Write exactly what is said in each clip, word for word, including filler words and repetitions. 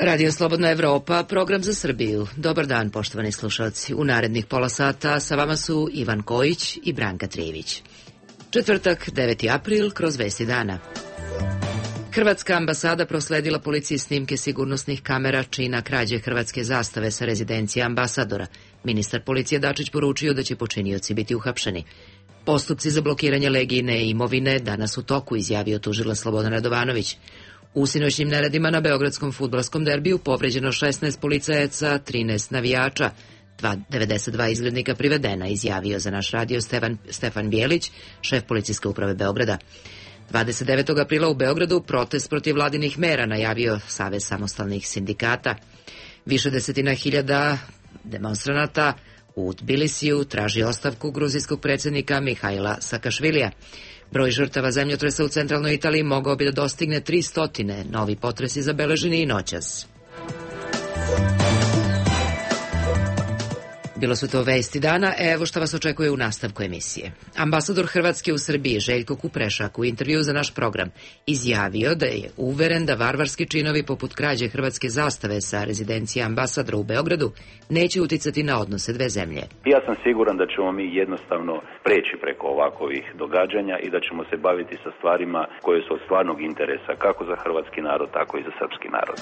Radio Slobodna Evropa, program za Srbiju. Dobar dan, poštovani slušalci. U narednih pola sata sa vama su Ivan Kojić i Branka Trijević. Četvrtak, deveti april, kroz vesti dana. Hrvatska ambasada prosledila policiji snimke sigurnosnih kamera čina krađe hrvatske zastave sa rezidencije ambasadora. Ministar policije Dačić poručio da će počinioci biti uhapšeni. Postupci za blokiranje Legijine imovine danas u toku, izjavio tužilac Slobodan Radovanović. U sinoćnim neredima na beogradskom fudbalskom derbiju povređeno šesnaest policajaca, trinaest navijača, devedeset dva izgrednika privedena, izjavio za naš radio Stefan, Stefan Bijelić, šef policijske uprave Beograda. dvadeset devetog aprila u Beogradu protest protiv vladinih mera najavio Savez samostalnih sindikata. Više desetina hiljada demonstranata u Tbilisiju traži ostavku gruzijskog predsjednika Mihajla Sakašvilija. Broj žrtava zemljotresa u centralnoj Italiji mogao bi da dostigne tristo. Novi potresi zabeleženi i noćas. Bilo su to vesti dana, evo što vas očekuje u nastavku emisije. Ambasador Hrvatske u Srbiji Željko Kuprešak u intervju za naš program izjavio da je uveren da varvarski činovi poput krađe hrvatske zastave sa rezidencije ambasadora u Beogradu neće uticati na odnose dve zemlje. Ja sam siguran da ćemo mi jednostavno preći preko ovakvih događanja i da ćemo se baviti sa stvarima koje su od stvarnog interesa kako za hrvatski narod, tako i za srpski narod.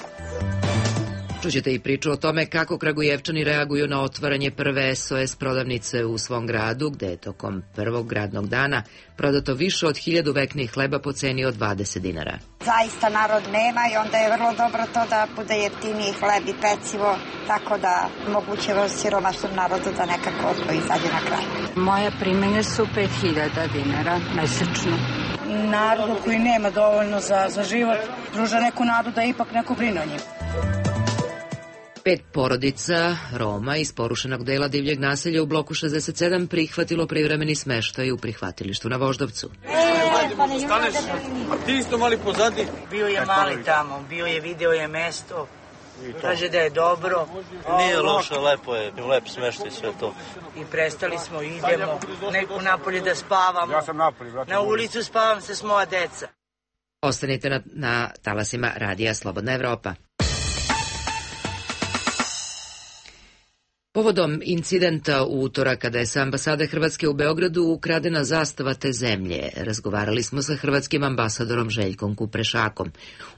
Čućete i priču o tome kako Kragujevčani reaguju na otvaranje prve S O S prodavnice u svom gradu, gde je tokom prvog gradnog dana prodato više od hiljadu veknih hleba po ceni od dvadeset dinara. Zaista narod nema i onda je vrlo dobro to da bude jeftiniji hleb i pecivo, tako da moguće siromašnom narodu da nekako odvoji izađe na kraj. Moje primanja su pet hiljada dinara mesečno. Narodu koji nema dovoljno za, za život pruža neku nadu da ipak neko brine o njim. Pet porodica Roma iz porušenog dela divljeg naselja u bloku šezdeset sedam prihvatilo privremeni smeštaj u prihvatilištu na Voždovcu. A ti isto mali pozadi? Bio je mali tamo, bio je, video je mesto, kaže da je dobro. Nije loše, lepo je, lep smeštaj sve to. I prestali smo, idemo, neku napolje da spavamo. Ja sam napolje, brate. Na ulicu spavam se s moja deca. Ostanite na, na talasima Radija Slobodna Evropa. Povodom incidenta u utorak kada je sa ambasade Hrvatske u Beogradu ukradena zastava te zemlje, razgovarali smo sa hrvatskim ambasadorom Željkom Kuprešakom.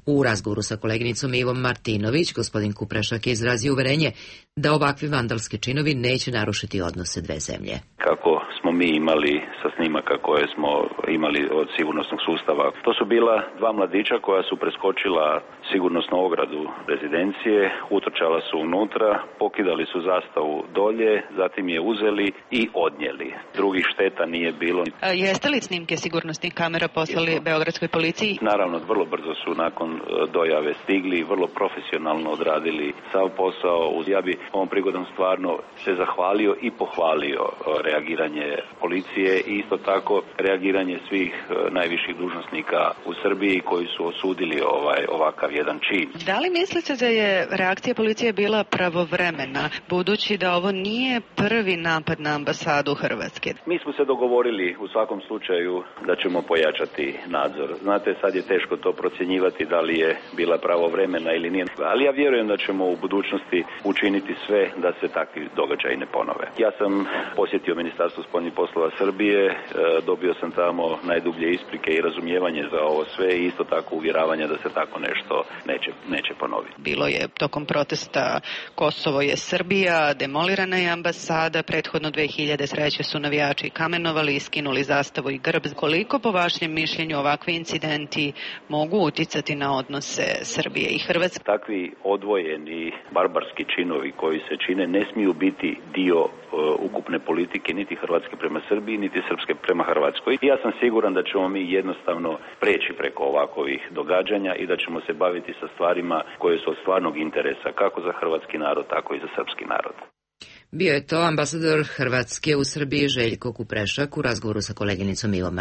U razgovoru sa koleginicom Ivom Martinović, gospodin Kuprešak je izrazio uverenje da ovakvi vandalski činovi neće narušiti odnose dve zemlje. Kako smo mi imali sa snimaka koje smo imali od sigurnosnog sustava, to su bila dva mladića koja su preskočila sigurnosnu ogradu rezidencije, utrčala su unutra, pokidali su zastavu dolje, zatim je uzeli i odnijeli. Drugih šteta nije bilo. A jeste li snimke sigurnosnih kamera poslali Jesmo. Beogradskoj policiji? Naravno, vrlo brzo su nakon dojave stigli, vrlo profesionalno odradili sav posao. Ja bi ovom prigodom stvarno se zahvalio i pohvalio reagiranje policije i isto tako reagiranje svih najviših dužnosnika u Srbiji koji su osudili ovaj ovakav jedan čin. Da li mislite da je reakcija policije bila pravovremena, budući da ovo nije prvi napad na ambasadu Hrvatske? Mi smo se dogovorili u svakom slučaju da ćemo pojačati nadzor. Znate, sad je teško to procjenjivati da li je bila pravovremena ili nije, ali ja vjerujem da ćemo u budućnosti učiniti sve da se takvi događaji ne ponove. Ja sam posjetio Ministarstvo spoljnih poslova Srbije, dobio sam tamo najdublje isprike i razumijevanje za ovo sve i isto tako uvjeravanje da se tako nešto neće, neće ponoviti. Bilo je tokom protesta Kosovo je Srbija, demolirana je ambasada, prethodno dve hiljade treće su navijači kamenovali, skinuli zastavu i grb. Koliko po vašem mišljenju ovakvi incidenti mogu uticati na odnose Srbije i Hrvatske? Takvi odvojeni barbarski činovi koji se čine ne smiju biti dio uh, ukupne politike niti Hrvatske prema Srbiji, niti Srpske prema Hrvatskoj. Ja sam siguran da ćemo mi jednostavno preći preko ovakvih događanja i da ćemo se baviti sa stvarima koje su od stvarnog interesa kako za hrvatski narod, tako i za srpski narod. Bio je to ambasador Hrvatske u Srbiji Željko Kuprešak u razgovoru sa koleginicom Ivom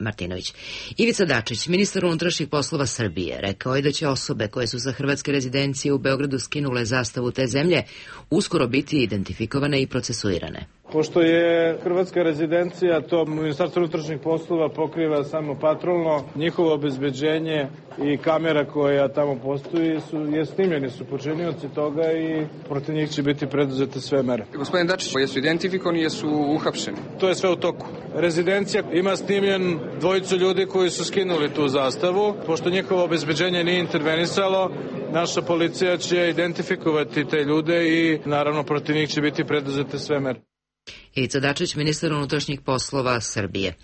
Martinović. Ivica Dačić, ministar unutrašnjih poslova Srbije, rekao je da će osobe koje su sa hrvatske rezidencije u Beogradu skinule zastavu te zemlje uskoro biti identifikovane i procesuirane. Pošto je hrvatska rezidencija, to Ministarstvo unutrašnjih poslova pokriva samo patrolno, njihovo obezbeđenje i kamera koja tamo postoji su, je snimljeni su počinioci toga i protiv njih će biti preduzete sve mere. Gospodin Dačić, jesu identifikovani, jesu uhapšeni? To je sve u toku. Rezidencija ima snimljen dvojicu ljudi koji su skinuli tu zastavu. Pošto njihovo obezbeđenje nije intervenisalo, naša policija će identifikovati te ljude i naravno protiv njih će biti preduzete sve mere. Ivica Dačić, ministar unutrašnjih poslova Srbije.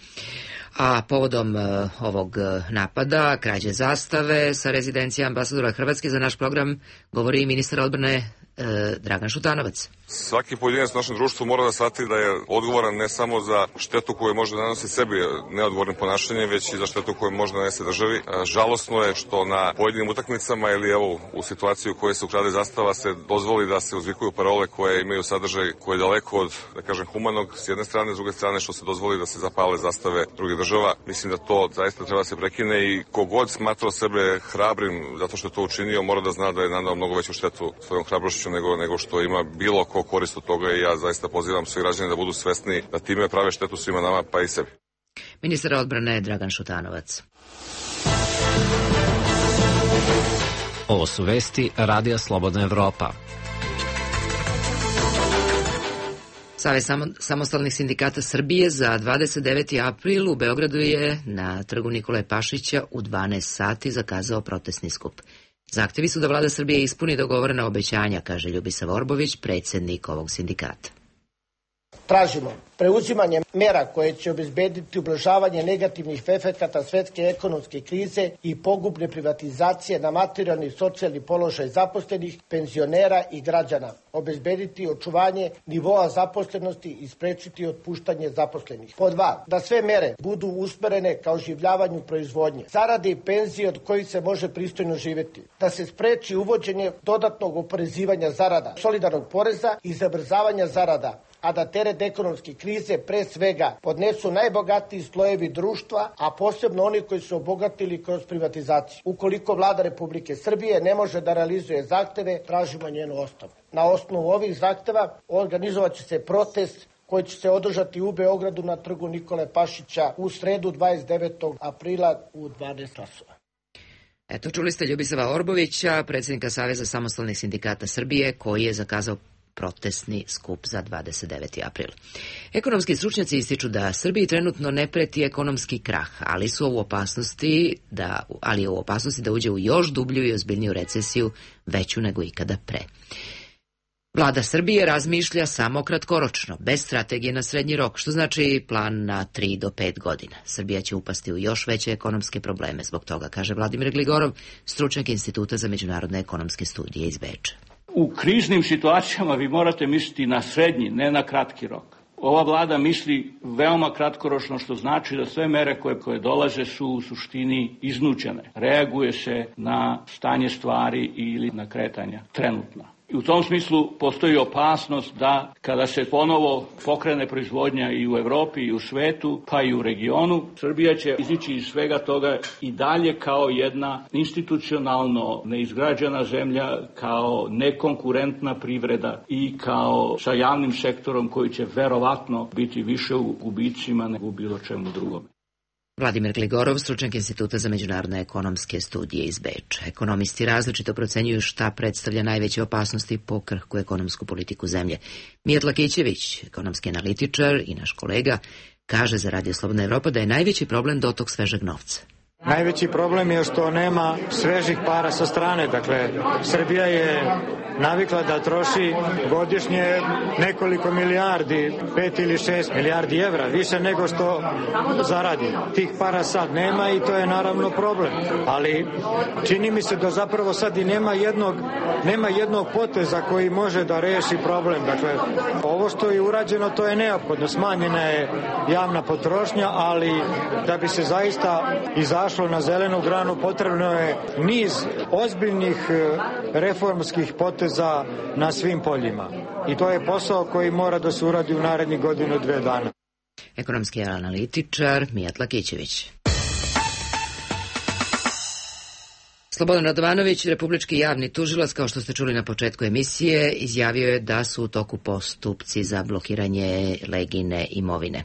A povodom uh, ovog napada, krađe zastave sa rezidencije ambasadora Hrvatske, za naš program govori i ministar odbrane uh, Dragan Šutanovac. Svaki pojedinac u našem društvu mora da shvati da je odgovoran ne samo za štetu koju može da nanosi sebi neodgovornim ponašanjem, već i za štetu koju može da nanese državi. Žalosno je što na pojedinim utakmicama ili evo u situaciji u kojoj se ukrade zastava se dozvoli da se uzvikuju parole koje imaju sadržaj koji je daleko od, da kažem, humanog s jedne strane, s druge strane što se dozvoli da se zapale zastave drugih država. Mislim da to zaista treba da se prekine i kogod smatrao sebe hrabrim zato što je to učinio, mora da zna da je nanao mnogo veću štetu svojom hrabrošću nego, nego što ima bilo ko korist od toga i ja zaista pozivam sve građane da budu svesni da time prave štetu svima nama pa i sebi. Ministar odbrane Dragan Šutanovac. Ovo su vesti Radija Slobodna Evropa. Savez samostalnih sindikata Srbije za dvadeset deveti april u Beogradu je na trgu Nikole Pašića u dvanaest sati zakazao protestni skup. Zahtevi su da vlada Srbije ispuni dogovorena obećanja, kaže Ljubisa Vorbović, predsjednik ovog sindikata. Tražimo preuzimanje mera koje će obezbediti ublažavanje negativnih efekata svetske ekonomske krize i pogubne privatizacije na materijalni i socijalni položaj zaposlenih, penzionera i građana, obezbediti očuvanje nivoa zaposlenosti i sprečiti otpuštanje zaposlenih. Po dva, da sve mere budu usmerene ka oživljavanju proizvodnje, zarade i penzije od kojih se može pristojno živjeti, da se spreči uvođenje dodatnog oporezivanja zarada, solidarnog poreza i zabrzavanja zarada, a da teret ekonomske krize pre svega podnesu najbogatiji slojevi društva, a posebno oni koji su obogatili kroz privatizaciju. Ukoliko vlada Republike Srbije ne može da realizuje zahteve, tražimo njenu ostavku. Na osnovu ovih zahteva organizovat će se protest koji će se održati u Beogradu na trgu Nikole Pašića u sredu dvadeset devetog aprila u dvanaest časova. Eto, čuli ste Ljubisava Orbovića, predsjednika Saveza samostalnih sindikata Srbije, koji je zakazao protestni skup za dvadeset deveti april. Ekonomski stručnjaci ističu da Srbiji trenutno ne preti ekonomski krah, ali su u opasnosti da, ali je u opasnosti da uđe u još dublju i ozbiljniju recesiju, veću nego ikada pre. Vlada Srbije razmišlja samo kratkoročno, bez strategije na srednji rok, što znači plan na tri do pet godina. Srbija će upasti u još veće ekonomske probleme zbog toga, kaže Vladimir Gligorov, stručnjak Instituta za međunarodne ekonomske studije iz Beča. U kriznim situacijama vi morate misliti na srednji, ne na kratki rok. Ova vlada misli veoma kratkoročno, što znači da sve mere koje, koje dolaze su u suštini iznuđene. Reaguje se na stanje stvari ili na kretanja trenutna. I u tom smislu postoji opasnost da kada se ponovo pokrene proizvodnja i u Evropi i u svetu, pa i u regionu, Srbija će izići iz svega toga i dalje kao jedna institucionalno neizgrađena zemlja, kao nekonkurentna privreda i kao sa javnim sektorom koji će verovatno biti više u gubicima nego u bilo čemu drugome. Vladimir Gligorov, stručnjak Instituta za međunarodne ekonomske studije iz Beča. Ekonomisti različito procenjuju šta predstavlja najveće opasnosti po krhku ekonomsku politiku zemlje. Mijat Lakićević, ekonomski analitičar i naš kolega, kaže za Radio Slobodna Evropa da je najveći problem dotok svežeg novca. Najveći problem je što nema svežih para sa strane. Dakle, Srbija je navikla da troši godišnje nekoliko milijardi, pet ili šest milijardi evra, više nego što zaradi. Tih para sad nema i to je naravno problem. Ali čini mi se da zapravo sad i nema jednog, nema jednog poteza koji može da reši problem. Dakle, ovo što je urađeno, to je neophodno. Smanjena je javna potrošnja, ali da bi se zaista izašlo na zelenu granu potrebno je niz ozbiljnih reformskih poteza na svim poljima. I to je posao koji mora da se uradi u narednih godinu, dve dana. Ekonomski analitičar Mijat Lakićević. Slobodan Radovanović, republički javni tužilac, kao što ste čuli na početku emisije, izjavio je da su u toku postupci za blokiranje Legine imovine.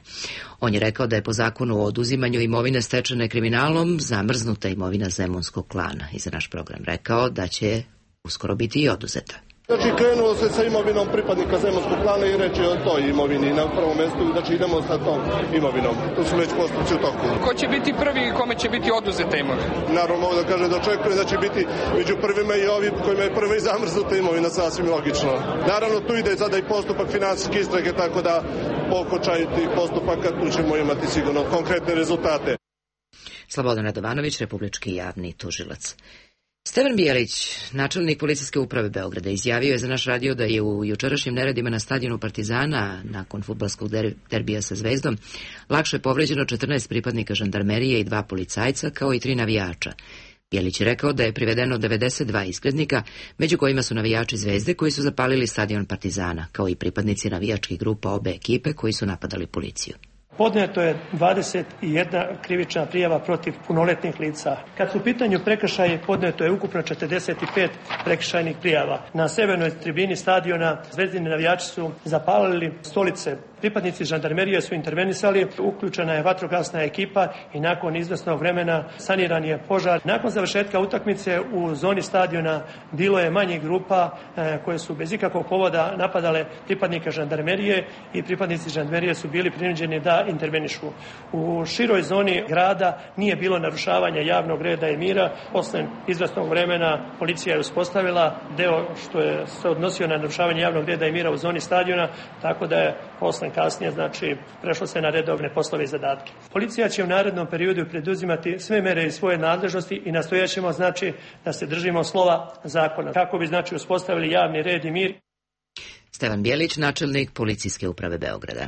On je rekao da je po zakonu o oduzimanju imovine stečene kriminalom zamrznuta imovina Zemunskog klana i za naš program rekao da će uskoro biti i oduzeta. Znači, krenulo se sa imovinom pripadnika Zemunskog klana i reći o toj imovini na prvom mestu, znači idemo sa tom imovinom. To su već postupci u toku. Ko će biti prvi i kome će biti oduzeta imovina? Naravno, mogu da kažem da očekujem da će biti među prvima i ovi kojima je prva i zamrznuta imovina, sasvim logično. Naravno, tu ide sada i postupak finansijske istrage, tako da pokočaj tih postupaka tu ćemo imati sigurno konkretne rezultate. Slobodan Radovanović, republički javni tužilac. Stevan Bijelić, načelnik policijske uprave Beograda, izjavio je za naš radio da je u jučerašnjim neredima na stadionu Partizana, nakon fudbalskog derbija sa Zvezdom, lakše povređeno četrnaest pripadnika žandarmerije i dva policajca, kao i tri navijača. Bijelić je rekao da je privedeno devedeset dva izgrednika, među kojima su navijači Zvezde koji su zapalili stadion Partizana, kao i pripadnici navijačkih grupa obe ekipe koji su napadali policiju. Podneto je dvadeset jedna krivična prijava protiv punoletnih lica. Kad su u pitanju prekršaje, podneto je ukupno četrdeset pet prekršajnih prijava. Na severnoj tribini stadiona zvezdini navijači su zapalili stolice. Pripadnici žandarmerije su intervenisali, uključena je vatrogasna ekipa i nakon izvesnog vremena saniran je požar. Nakon završetka utakmice u zoni stadiona bilo je manje grupa e, koje su bez ikakvog povoda napadale pripadnika žandarmerije i pripadnici žandarmerije su bili prinuđeni da intervenišu. U široj zoni grada nije bilo narušavanja javnog reda i mira. Posle izvesnog vremena policija je uspostavila deo što je se odnosio na narušavanje javnog reda i mira u zoni stadiona, tako da je posle kasnije, znači, prešlo se na redovne poslove i zadatke. Policija će u narednom periodu preduzimati sve mere iz svoje nadležnosti i nastojaćemo, znači, da se držimo slova zakona, kako bi, znači, uspostavili javni red i mir. Stevan Bijelić, načelnik policijske uprave Beograda.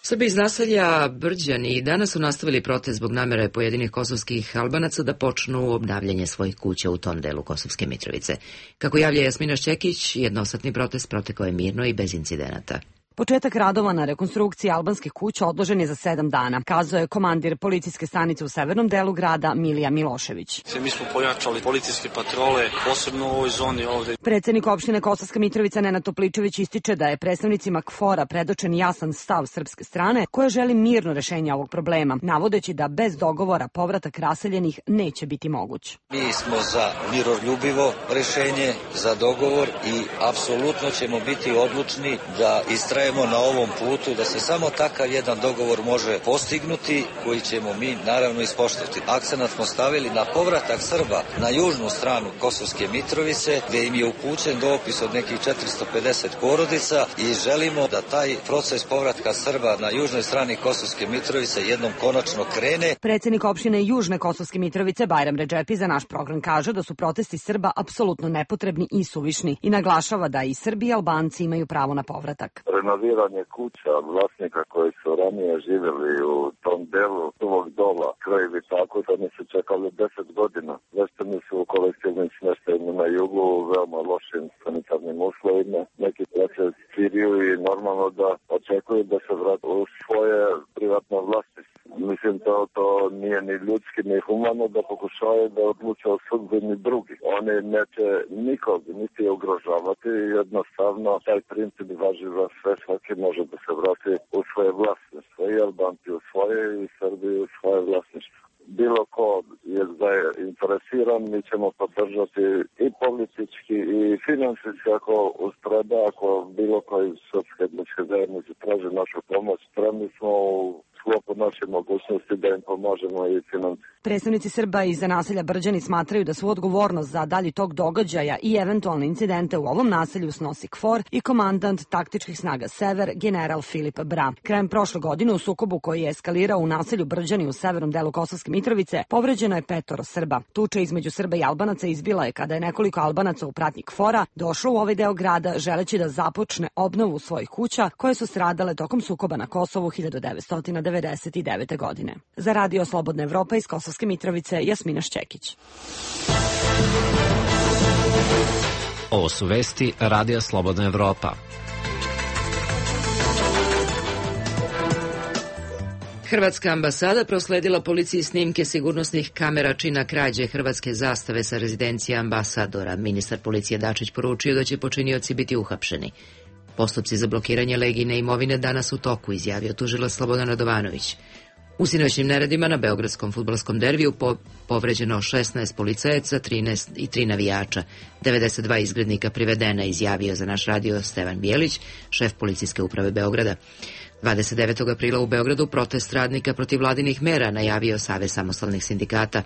Srbi iz naselja Brđani danas su nastavili protest zbog namere pojedinih kosovskih Albanaca da počnu obnavljanje svojih kuća u tom delu Kosovske Mitrovice. Kako javlja Jasmina Šćekić, jednosatni protest protekao je mirno i bez incidenata. Početak radova na rekonstrukciji albanskih kuća odložen je za sedam dana, kazao je komandir policijske stanice u severnom delu grada Milija Milošević. Mi smo pojačali policijske patrole, posebno u ovoj zoni ovde. Predsednik opštine Kosovska Mitrovica Nenad Topličević ističe da je predstavnicima K F O R-a predočen jasan stav srpske strane koja želi mirno rešenje ovog problema, navodeći da bez dogovora povratak raseljenih neće biti moguć. Mi smo za miroljubivo rešenje, za dogovor i apsolutno ćemo biti odlučni da istrajemo na ovom putu, da se samo takav jedan dogovor može postignuti, koji ćemo mi naravno ispoštovati. Akcenat smo stavili na povratak Srba na južnu stranu Kosovske Mitrovice, gde im je upućen dopis od nekih četiristo pedeset porodica i želimo da taj proces povratka Srba na južnoj strani Kosovske Mitrovice jednom konačno krene. Predsednik opštine Južne Kosovske Mitrovice Bajram Redžepi za naš program kaže da su protesti Srba apsolutno nepotrebni i suvišni i naglašava da i Srbi i Albanci imaju pravo na povratak. Renoviranje kuća od vlasnika koji su ranije živjeli u tom delu Suvog dola, krajevi tako da ne su čekali deset godina. Veštani su u kolektivnim smještajima na jugu u veoma lošim sanitarnim uslovima. Neki plaće Siriju i normalno da očekuju da se vrati u svoje privatno vlasništvo. Mislim to, to nije ni ljudski ni humano da pokušaju da odluče o sudbini drugi. Oni neće nikog niti ugrožavati, jednostavno taj princip važi za sve, svaki može da se vrati u svoje vlasništvo, i Albanci u svoje i Srbi u svoje vlasništvo. Bilo ko je zainteresiran, mi ćemo podržati i politički i finansijski ako ustreba, ako bilo koji srpske etničke zajednice traži našu pomoć, spremni smo u sklopu naše mogućnosti da im pomožemo i finansijski. Predstavnici Srba iz naselja Brđani smatraju da su odgovornost za dalji tok događaja i eventualne incidente u ovom naselju snosi K F O R i komandant taktičkih snaga Sever, general Filip Bra. Krajem prošle godine u sukobu koji je eskalirao u naselju Brđani u severnom delu Kosovske Mitrovice povređeno je petoro Srba. Tuča između Srba i Albanaca izbila je kada je nekoliko Albanaca u pratnji K F O R-a došlo u ovaj deo grada želeći da započne obnovu svojih kuća koje su stradale tokom sukoba na Kosovu hiljadu devetsto devedeset devete. godine. Za Radio Slobodna Evropa iz Kosovske Mitrovice, Jasmina Šćekić. Ovo su vesti Radija Slobodna Evropa. Hrvatska ambasada prosledila policiji snimke sigurnosnih kamera čina krađe hrvatske zastave sa rezidencije ambasadora. Ministar policije Dačić poručio da će počinioci biti uhapšeni. Postupci za blokiranje Legijine imovine danas u toku, izjavio tužilac Slobodan Radovanović. U sinoćnim neredima na beogradskom fudbalskom derbiju po, povređeno šesnaest policajaca, trinaest i tri navijača. devedeset dva izgrednika privedena, izjavio za naš radio Stevan Bijelić, šef policijske uprave Beograda. dvadeset devetog aprila u Beogradu protest radnika protiv vladinih mera, najavio Savez samostalnih sindikata.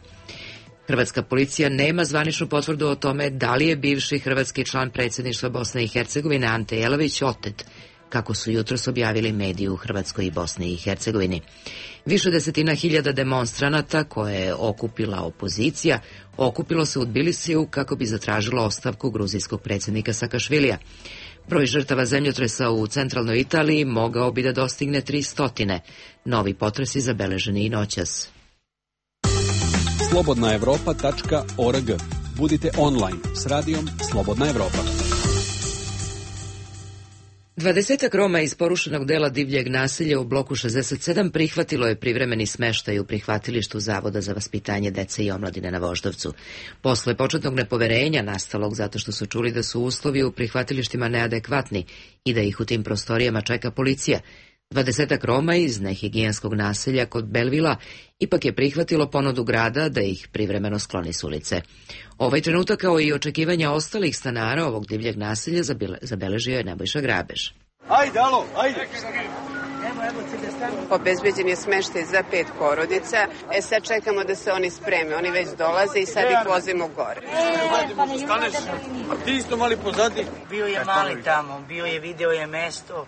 Hrvatska policija nema zvaničnu potvrdu o tome da li je bivši hrvatski član predsjedništva Bosne i Hercegovine Ante Jelavić otet, kako su jutros objavili mediji u Hrvatskoj i Bosni i Hercegovini. Više desetina hiljada demonstranata koje je okupila opozicija okupilo se u Tbilisiju kako bi zatražilo ostavku gruzijskog predsjednika Sakašvilija. Broj žrtava zemljotresa u centralnoj Italiji mogao bi da dostigne tri stotine. Novi potresi zabeleženi i noćas. slobodna evropa tačka org. Budite online s radijom Slobodna Evropa. Dvadesetak Roma iz porušenog dela divljeg naselja u bloku šezdeset sedam prihvatilo je privremeni smeštaj u prihvatilištu Zavoda za vaspitanje dece i omladine na Voždovcu. Posle početnog nepoverenja, nastalog zato što su čuli da su uslovi u prihvatilištima neadekvatni i da ih u tim prostorijama čeka policija, dvadesetak Roma iz nehigijenskog naselja kod Belvila ipak je prihvatilo ponudu grada da ih privremeno skloni s ulice. Ovaj trenutak, kao i očekivanja ostalih stanara ovog divljeg naselja, zabeležio je Nebojša Grabež. Ajde, alo, ajde! Obezbeđen je smeštaj za pet porodica. E sad čekamo da se oni spreme. Oni već dolaze i sad ih vozimo gore. Staneš, a ti isto mali pozadi? Bio je mali tamo, bio je, video je mesto.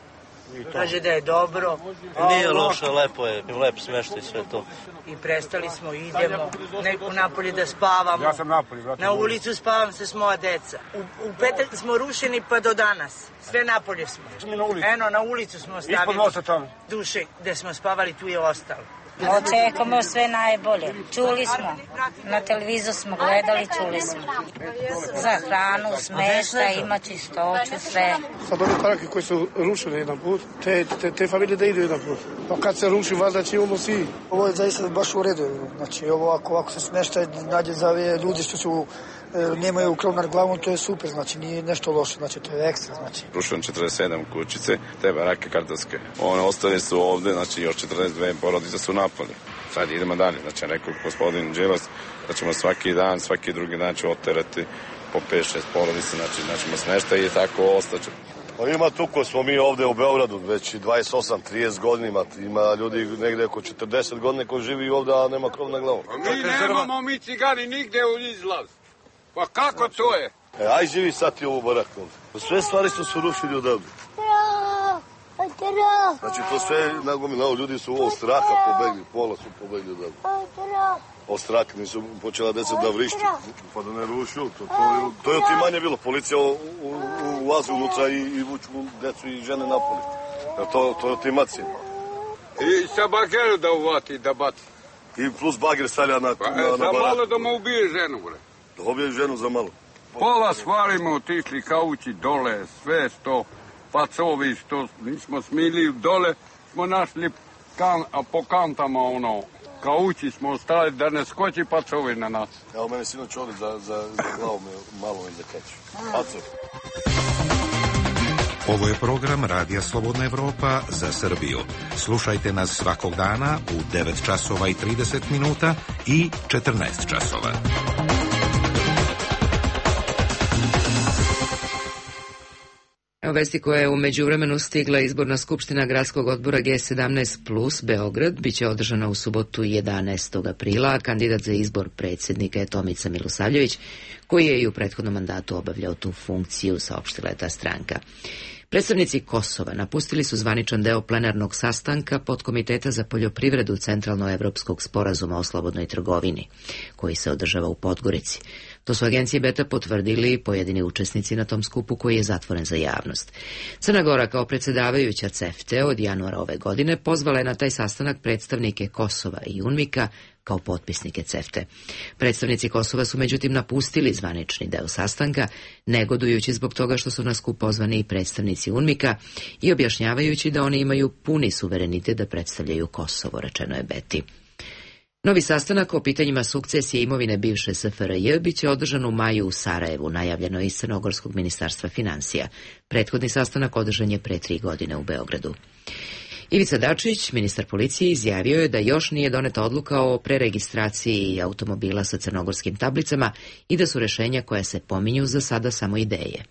Kaže da je dobro. Nije loše, lepo je, lep smeštaj sve to. I prestali smo, idemo neku napolje da spavamo. Ja sam napolje, brate. Na ulicu spavam se s moja deca. U, u petak smo rušeni pa do danas. Sve napolje smo. Eno, na ulicu smo stavili. Ispod mosta tamo. Duše, gde smo spavali, tu je ostalo. Očekujemo sve najbolje. Čuli smo, na televizoru smo gledali, čuli smo. Za hranu, smeštaj, ima čistoću, sve. Sad ove parake koje su rušene jedan put, te, te, te familije da idu jedan put. Pa kad se ruši, valjda će imamo svi. Ovo je zaista baš u redu. Znači, ovo ako, ako se smeštaj nađe za ove ljudi što su nemaju krov nad glavom, to je super, znači nije nešto loše, znači to je ekstra, znači. Rušen četrdeset sedam kućice, te barake kartonske. One ostale su ovde, znači još četrdeset dve porodice su napolje. Sad idemo dalje, znači rekao gospodin Đilas da ćemo svaki dan, svaki drugi dan ćemo oterati po pet šest porodice, znači znaćemo smeštaj i tako ostaće. Pa ima tu ko smo mi ovde u Beogradu već dvadeset osam trideset godina, ima ljudi negde oko četrdeset godina koji živi ovde, a nema krov na glavu. A mi nemamo mi cigani nigde u izlaz. Pa kako to je? E, aj živi sad ti ovu baraku. Sve stvari su se rušili odavde. Znači to sve nagomilao, ljudi su ovo straha pobegli, pola su pobegli odavde. Od straha nisu počela deca da vrišću, pa da ne rušu. To, to, to je otimanje bilo, policija ulazi unutra i, i vuču decu i žene napoli. To, to je otimacija. I sa bageru da uvati, da baci. I plus bager stavlja na, pa, na, na za malo da mu ubije ženu, bre. Da ubije ženu za malo. Pola stvarimo otišli kaući dole, sve što pacovi što nismo smili dole, smo našli kan, a po kantama ono, kaući smo ostali da ne skoči pacovi na nas. Evo mene sinoć ovdje za, za, za glavu me malo i zakaču. Pacovi. Ovo je program Radija Slobodna Evropa za Srbiju. Slušajte nas svakog dana u devet časova i trideset minuta i četrnaest časova. U vesti koja je u međuvremenu stigla izborna skupština gradskog odbora G sedamnaest plus Beograd biće održana u subotu jedanaestog aprila, a kandidat za izbor predsjednika je Tomica Milosavljević, koji je i u prethodnom mandatu obavljao tu funkciju, saopštila je ta stranka. Predstavnici Kosova napustili su zvaničan deo plenarnog sastanka Podkomiteta za poljoprivredu Centralnoevropskog sporazuma o slobodnoj trgovini, koji se održava u Podgorici. To su agencije Beta potvrdili pojedini učesnici na tom skupu koji je zatvoren za javnost. Crna Gora kao predsjedavajuća CEFTA od januara ove godine pozvala je na taj sastanak predstavnike Kosova i UNMIK-a kao potpisnike CEFTA. Predstavnici Kosova su međutim napustili zvanični deo sastanka, negodujući zbog toga što su na skup pozvani i predstavnici UNMIK-a i objašnjavajući da oni imaju puni suverenitet da predstavljaju Kosovo, rečeno je Beti. Novi sastanak o pitanjima sukcesije imovine bivše S F R J biće održan u maju u Sarajevu, najavljeno iz Crnogorskog ministarstva financija. Prethodni sastanak održan je pre tri godine u Beogradu. Ivica Dačić, ministar policije, izjavio je da još nije doneta odluka o preregistraciji automobila sa crnogorskim tablicama i da su rešenja koja se pominju za sada samo ideje.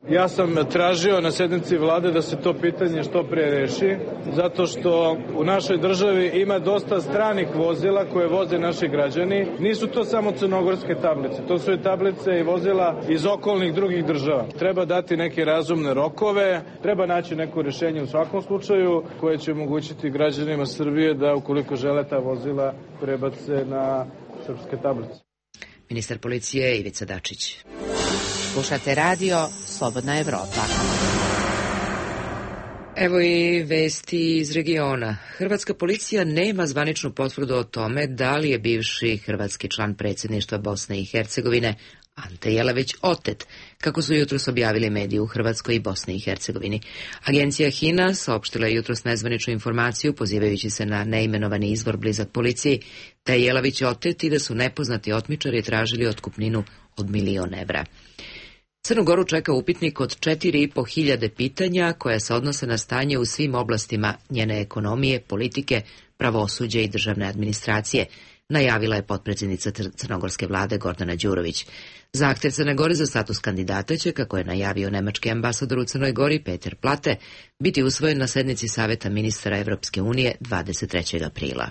Ja sam tražio na sednici vlade da se to pitanje što pre reši, zato što u našoj državi ima dosta stranih vozila koje voze naši građani. Nisu to samo crnogorske tablice, to su i tablice i vozila iz okolnih drugih država. Treba dati neke razumne rokove, treba naći neko rešenje u svakom slučaju koje će omogućiti građanima Srbije da ukoliko žele ta vozila prebace na srpske tablice. Ministar policije Ivica Dačić. Slušate radio Slobodna Evropa. Evo i vesti iz regiona. Hrvatska policija nema zvaničnu potvrdu o tome da li je bivši hrvatski član predsjedništva Bosne i Hercegovine Ante Jelavić otet, kako su jutros objavili mediji u Hrvatskoj i Bosni i Hercegovini. Agencija H I N A saopštila je jutros nezvaničnu informaciju, pozivajući se na neimenovani izvor blizak policiji, da je Jelavić otet i da su nepoznati otmičari tražili otkupninu od milion evra. Crnu Goru čeka upitnik od četiri i po hiljade pitanja koja se odnose na stanje u svim oblastima njene ekonomije, politike, pravosuđa i državne administracije, najavila je potpredsjednica crnogorske vlade Gordana Đurović. Zahtev Crne Gore za status kandidata će, kako je najavio nemački ambasador u Crnoj Gori Peter Plate, biti usvojen na sednici Saveta ministara Evropske unije dvadeset trećeg aprila.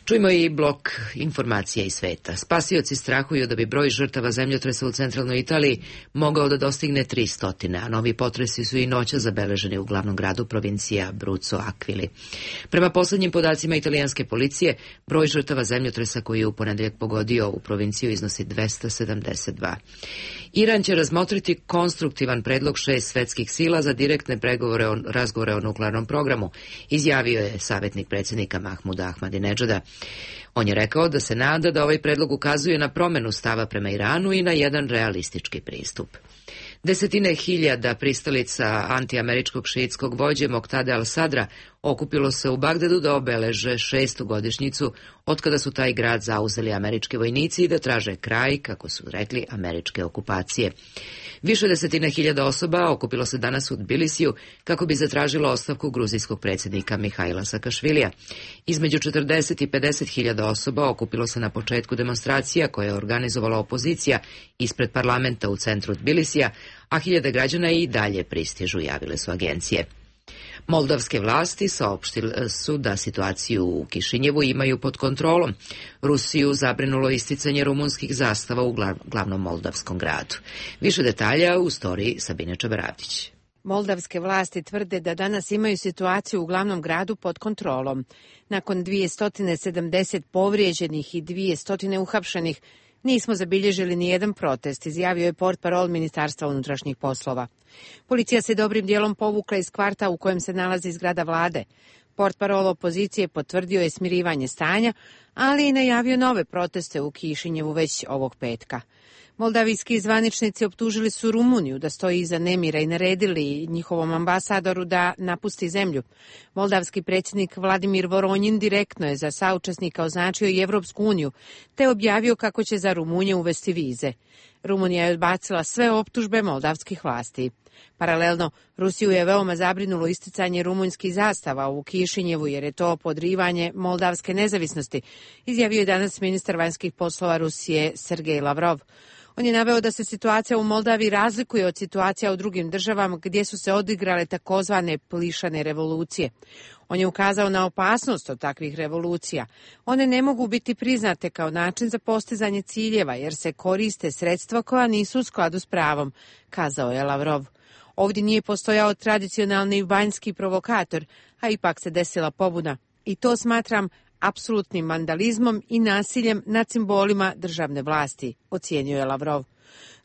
Čujmo i blok informacija iz sveta. Spasioci strahuju da bi broj žrtava zemljotresa u centralnoj Italiji mogao da dostigne tristo, a novi potresi su i noća zabeleženi u glavnom gradu provincija Abruzzo Aquili. Prema poslednjim podacima italijanske policije, broj žrtava zemljotresa koji je u ponedeljak pogodio ovu provinciju iznosi dvesta sedamdeset dva. Iran će razmotriti konstruktivan predlog šest svetskih sila za direktne pregovore o, razgovore o nuklearnom programu, izjavio je savjetnik predsjednika Mahmuda Ahmadinedžada. On je rekao da se nada da ovaj predlog ukazuje na promenu stava prema Iranu i na jedan realistički pristup. Desetine hiljada pristalica antiameričkog šiitskog vođe Moktade al-Sadra okupilo se u Bagdadu da obeleže šestu godišnjicu od kada su taj grad zauzeli američki vojnici i da traže kraj, kako su rekli, američke okupacije. Više desetina hiljada osoba okupilo se danas u Tbilisiju kako bi zatražilo ostavku gruzijskog predsjednika Mihajla Sakašvilija. Između četrdeset i pedeset hiljada osoba okupilo se na početku demonstracija koje je organizovala opozicija ispred parlamenta u centru Tbilisija, a hiljade građana i dalje pristižu, javile su agencije. Moldavske vlasti saopštile su da situaciju u Kišinjevu imaju pod kontrolom. Rusiju zabrinulo isticanje rumunskih zastava u glavnom moldavskom gradu. Više detalja u storiji Sabine Čabaravdić. Moldavske vlasti tvrde da danas imaju situaciju u glavnom gradu pod kontrolom. Nakon dvesta sedamdeset povrijeđenih i dvesta uhapšenih, nismo zabilježili ni jedan protest, izjavio je portparol Ministarstva unutrašnjih poslova. Policija se dobrim dijelom povukla iz kvarta u kojem se nalazi zgrada vlade. Portparol opozicije potvrdio je smirivanje stanja, ali i najavio nove proteste u Kišinjevu već ovog petka. Moldavijski zvaničnici optužili su Rumuniju da stoji iza nemira i naredili njihovom ambasadoru da napusti zemlju. Moldavski predsjednik Vladimir Voronjin direktno je za saučesnika označio i Evropsku uniju, te objavio kako će za Rumunje uvesti vize. Rumunija je odbacila sve optužbe moldavskih vlasti. Paralelno, Rusiju je veoma zabrinulo isticanje rumunjskih zastava u Kišinjevu jer je to podrivanje moldavske nezavisnosti, izjavio je danas ministar vanjskih poslova Rusije Sergej Lavrov. On je naveo da se situacija u Moldaviji razlikuje od situacija u drugim državama gdje su se odigrale takozvane plišane revolucije. On je ukazao na opasnost od takvih revolucija. One ne mogu biti priznate kao način za postizanje ciljeva jer se koriste sredstva koja nisu u skladu s pravom, kazao je Lavrov. Ovdje nije postojao tradicionalni vanjski provokator, a ipak se desila pobuna. I to smatram apsolutnim vandalizmom i nasiljem nad simbolima državne vlasti, ocijenio je Lavrov.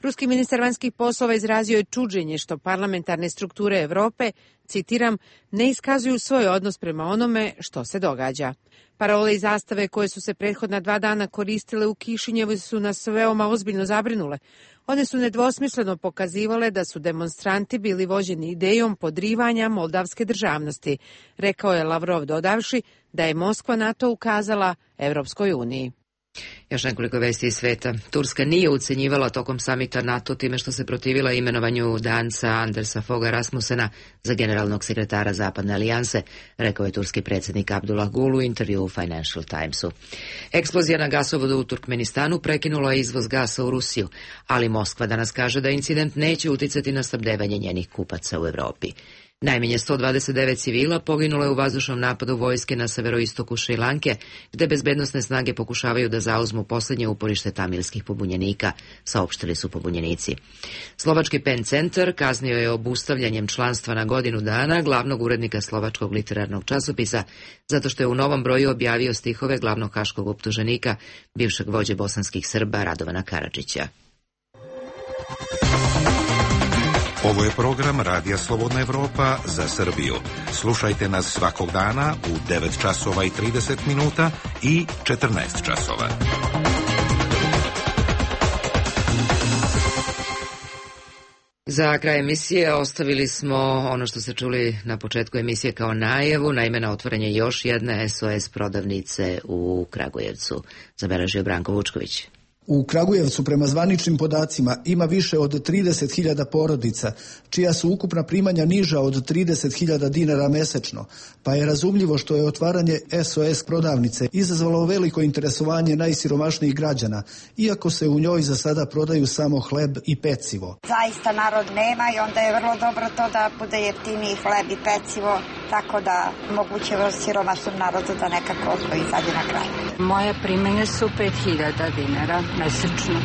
Ruski ministar vanjskih poslova izrazio je čuđenje što parlamentarne strukture Evrope, citiram, ne iskazuju svoj odnos prema onome što se događa. Parole i zastave koje su se prethodna dva dana koristile u Kišinjevu su nas veoma ozbiljno zabrinule. One su nedvosmisleno pokazivale da su demonstranti bili vođeni idejom podrivanja moldavske državnosti, rekao je Lavrov dodavši da je Moskva na to ukazala Evropskoj uniji. Još nekoliko vesti iz sveta. Turska nije ucenjivala tokom samita NATO time što se protivila imenovanju Danca Andersa Foga Rasmussena za generalnog sekretara Zapadne alijanse, rekao je turski predsjednik Abdullah Gul u intervju u Financial Timesu. Eksplozija na gasovodu u Turkmenistanu prekinula je izvoz gasa u Rusiju, ali Moskva danas kaže da incident neće uticati na snabdevanje njenih kupaca u Evropi. Najmanje sto dvadeset devet civila poginulo je u vazdušnom napadu vojske na severoistoku Šrilanke, gde bezbednosne snage pokušavaju da zauzmu posljednje uporište tamilskih pobunjenika, saopštili su pobunjenici. Slovački Pen centar kaznio je obustavljanjem članstva na godinu dana glavnog urednika slovačkog literarnog časopisa, zato što je u novom broju objavio stihove glavnog haškog optuženika, bivšeg vođe bosanskih Srba Radovana Karadžića. Ovo je program Radija Slobodna Evropa za Srbiju. Slušajte nas svakog dana u devet časova i trideset minuta i četrnaest časova. Za kraj emisije ostavili smo ono što ste čuli na početku emisije kao najavu, naime na otvaranje još jedne S O S prodavnice u Kragujevcu, zabeležio Branko Vučković. U Kragujevcu prema zvaničnim podacima ima više od trideset hiljada porodica, čija su ukupna primanja niža od trideset hiljada dinara mesečno, pa je razumljivo što je otvaranje S O S prodavnice izazvalo veliko interesovanje najsiromašnijih građana, iako se u njoj za sada prodaju samo hleb i pecivo. Zaista narod nema i onda je vrlo dobro to da bude jeftiniji hleb i pecivo, tako da moguće siromašnom narodu da nekako izađe na kraj. Moje primanje su pet hiljada dinara mesečno.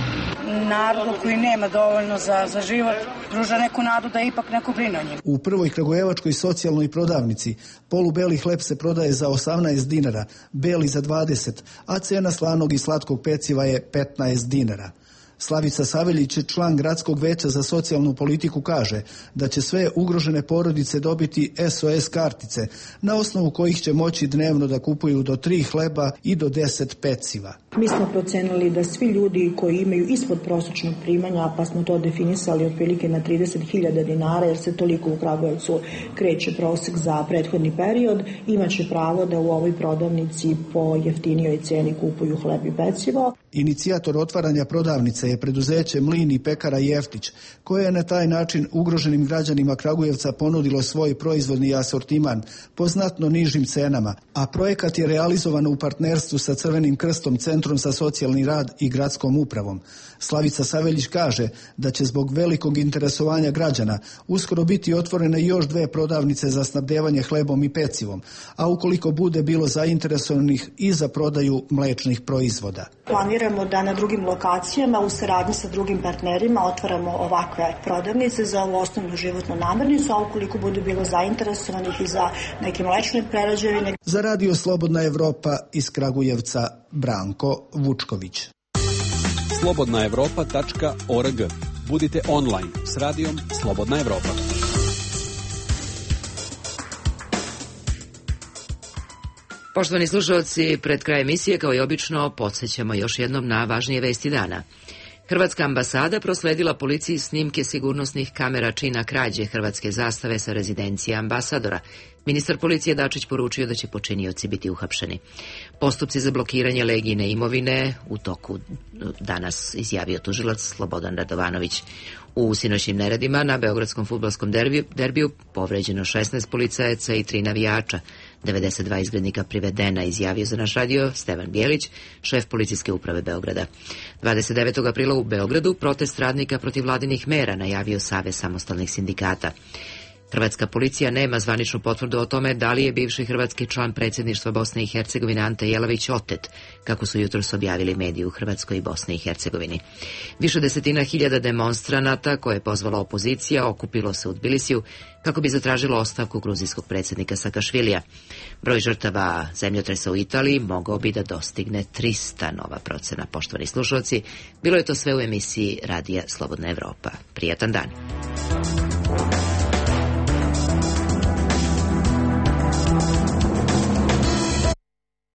Narodu koji nema dovoljno za, za život pruža neku nadu da ipak neko brine o njim. U prvoj kragujevačkoj socijalnoj prodavnici polubeli hleb se prodaje za osamnaest dinara, beli za dvadeset, a cena slanog i slatkog peciva je petnaest dinara. Slavica Saveljić, član Gradskog veća za socijalnu politiku, kaže da će sve ugrožene porodice dobiti S O S kartice, na osnovu kojih će moći dnevno da kupuju do tri hleba i do deset peciva. Mi smo procenili da svi ljudi koji imaju ispod prosječnog primanja, pa smo to definisali otprilike na trideset hiljada dinara, jer se toliko u Kragujevcu kreće prosek za prethodni period, imaće pravo da u ovoj prodavnici po jeftinijoj ceni kupuju hleb i pecivo. Inicijator otvaranja prodavnice je preduzeće Mlin i pekara Jeftić, koje je na taj način ugroženim građanima Kragujevca ponudilo svoj proizvodni asortiman po znatno nižim cenama, a projekat je realizovan u partnerstvu sa Crvenim krstom, Centrom za socijalni rad i gradskom upravom. Slavica Saveljić kaže da će zbog velikog interesovanja građana uskoro biti otvorene još dve prodavnice za snabdevanje hlebom i pecivom, a ukoliko bude bilo zainteresovanih i za prodaju mlečnih proizvoda. Planiramo da na drugim lokacijama u saradnji sa drugim partnerima otvaramo ovakve prodavnice za ovu osnovnu životnu namirnicu, a ukoliko bude bilo zainteresovanih i za neke mlečne prerađevine. Za Radio Slobodna Evropa iz Kragujevca, Branko Vučković. slobodna evropa tačka org. Budite online s radijom Slobodna Evropa. Poštovani slušalci, pred kraj emisije, kao i obično, podsjećamo još jednom na važnije vesti dana. Hrvatska ambasada prosledila policiji snimke sigurnosnih kamera čina krađe hrvatske zastave sa rezidencije ambasadora. Ministar policije Dačić poručio da će počinioci biti uhapšeni. Postupci za blokiranje Legijine imovine u toku danas, izjavio tužilac Slobodan Radovanović. U sinoćnim neredima na beogradskom fudbalskom derbiju, derbiju povređeno šesnaest policajaca i tri navijača. devedeset dva izglednika privedena, izjavio za naš radio Stevan Bjelić, šef policijske uprave Beograda. dvadeset devetog aprila u Beogradu protest radnika protiv vladinih mera, najavio Savez samostalnih sindikata. Hrvatska policija nema zvaničnu potvrdu o tome da li je bivši hrvatski član predsjedništva Bosne i Hercegovine Ante Jelavić otet, kako su jutros objavili mediji u Hrvatskoj i Bosni i Hercegovini. Više desetina hiljada demonstranata koje je pozvala opozicija okupilo se u Tbilisiju kako bi zatražilo ostavku gruzijskog predsjednika Sakašvilija. Broj žrtava zemljotresa u Italiji mogao bi da dostigne trista, nova procena. Poštovani slušalci, bilo je to sve u emisiji Radija Slobodna Evropa. Prijatan dan.